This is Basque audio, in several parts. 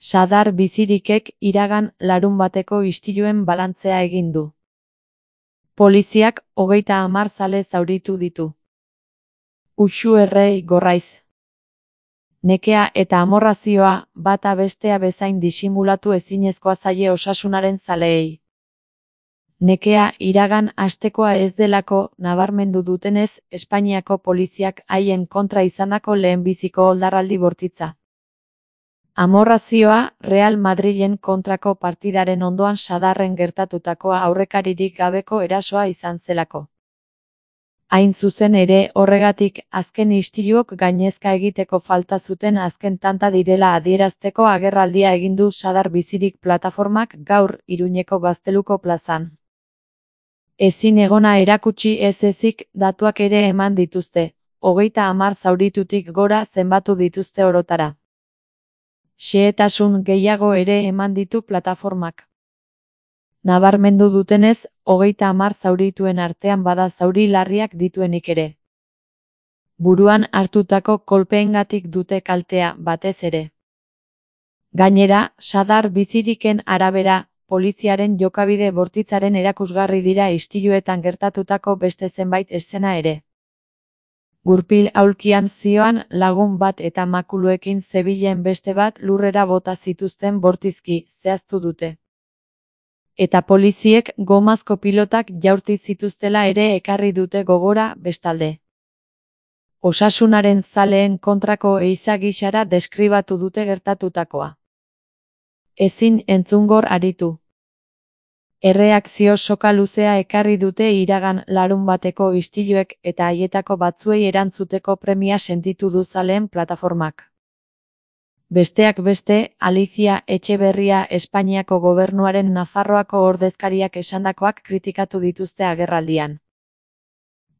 Sadar Bizirikek iragan larunbateko istiluen balantzea egin du. Poliziak 30 zale zauritu ditu. Uxu errei gorraiz. Nekea eta amorrazioa bata bestea bezain disimulatu ezinezkoa zaie osasunaren zaleei. Nekea iragan astekoa ez delako nabarmendu dutenez, Espainiako poliziak haien kontra izandako lehenbiziko oldarraldi bortitza. Amorrazioa Real Madrilen kontrako partidaren ondoan Sadarren gertatutakoa aurrekaririk gabeko erasoa izan zelako. Hain zuzen ere horregatik azken istiluok gainezka egiteko falta zuten azken tanta direla adierazteko agerraldia egin du Sadar Bizirik plataformak gaur Iruñeko Gazteluko plazan. Ezin egona erakutsi ez ezik datuak ere eman dituzte, 30 zauritutik gora zenbatu dituzte orotara. Xehetasun gehiago ere eman ditu plataformak. Nabarmendu dutenez, 30 zaurituen artean bada zauri larriak dituenik ere. Buruan hartutako kolpeengatik dute kaltea, batez ere. Gainera, Sadar Biziriken arabera, poliziaren jokabide bortitzaren erakusgarri dira istiluetan gertatutako beste zenbait eszena ere. Gurpil aulkian zioan lagun bat eta makuluekin zebilen beste bat lurrera bota zituzten bortizki, zehaztu dute. Eta poliziek gomazko pilotak jaurti zituztela ere ekarri dute gogora bestalde. Osasunaren zaleen kontrako ehiza gisara deskribatu dute gertatutakoa. Ezin entzungor aritu. Erreakzio soka luzea ekarri dute iragan larunbateko istiluek eta haietako batzuei erantzuteko premia sentitu du zaleen plataformak. Besteak beste, Alicia Etxeberria Espainiako gobernuaren Nafarroako ordezkariak esandakoak kritikatu dituzte agerraldian.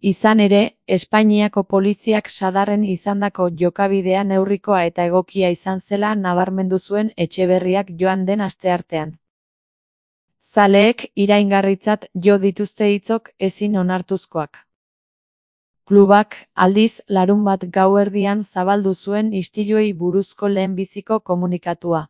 Izan ere, Espainiako poliziak Sadarren izandako jokabidea neurrikoa eta egokia izan zela nabarmendu zuen Etxeberriak joan den asteartean. Zaleek iraingarritzat jo dituzte hitzok ezin onartuzkoak. Klubak, aldiz, larunbat gauerdian zabaldu zuen istiluei buruzko lehenbiziko komunikatua.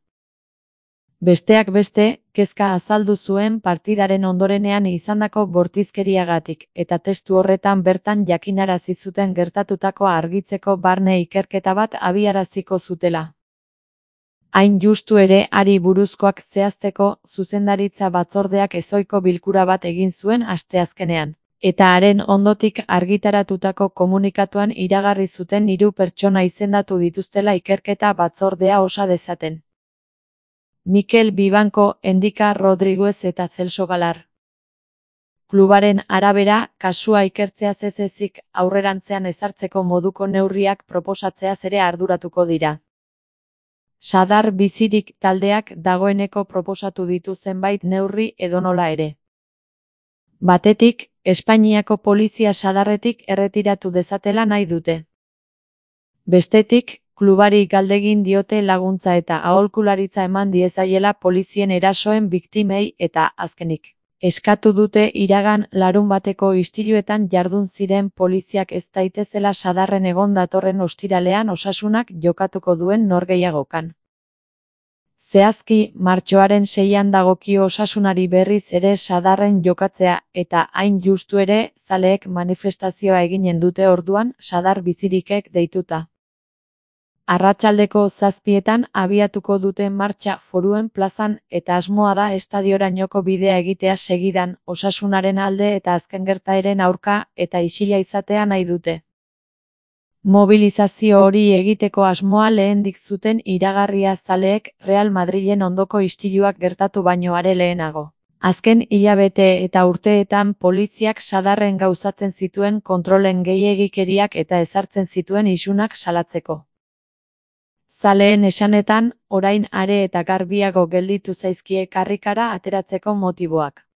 Besteak beste, kezka azaldu zuen partidaren ondorenean izandako bortizkeriagatik, eta testu horretan bertan jakinarazi zuten gertatutakoa argitzeko barne ikerketa bat abiaraziko zutela. Hain justu ere hari buruzkoak zehazteko zuzendaritza batzordeak ezohiko bilkura bat egin zuen asteazkenean. Eta haren ondotik argitaratutako komunikatuan iragarri zuten 3 pertsona izendatu dituztela ikerketa batzordea osa dezaten. Mikel Bibanko, Endika Rodriguez eta Celso Galar. Klubaren arabera, kasua ikertzeaz ez ezik aurrerantzean ezartzeko moduko neurriak proposatzeaz ere arduratuko dira. Sadar Bizirik taldeak dagoeneko proposatu ditu zenbait neurri edonola ere. Batetik, Espainiako polizia Sadarretik erretiratu dezatela nahi dute. Bestetik, klubari galdegin diote laguntza eta aholkularitza eman diezaiela polizien erasoen biktimei eta, azkenik, eskatu dute iragan larunbateko istiluetan jardun ziren poliziak ez daitezela Sadarren egon datorren ostiralean osasunak jokatuko duen norgehiagokan. Zehazki, martxoaren 6an dagokio osasunari berriz ere Sadarren jokatzea eta hain justu ere zaleek manifestazioa eginen dute orduan Sadar Bizirikek deituta. Arratsaldeko 7etan abiatuko dute martxa Foruen plazan eta asmoa da estadiorainoko bidea egitea segidan osasunaren alde eta azken gertaeren aurka eta isila izatea nahi dute. Mobilizazio hori egiteko asmoa lehendik zuten iragarria zaleek Real Madrilen ondoko istiluak gertatu baino are lehenago. Azken hilabete eta urteetan poliziak Sadarren gauzatzen zituen kontrolen gehiegikeriak eta ezartzen zituen isunak salatzeko. Zaleen esanetan, orain are eta garbiago gelditu zaizkie karrikara ateratzeko motiboak.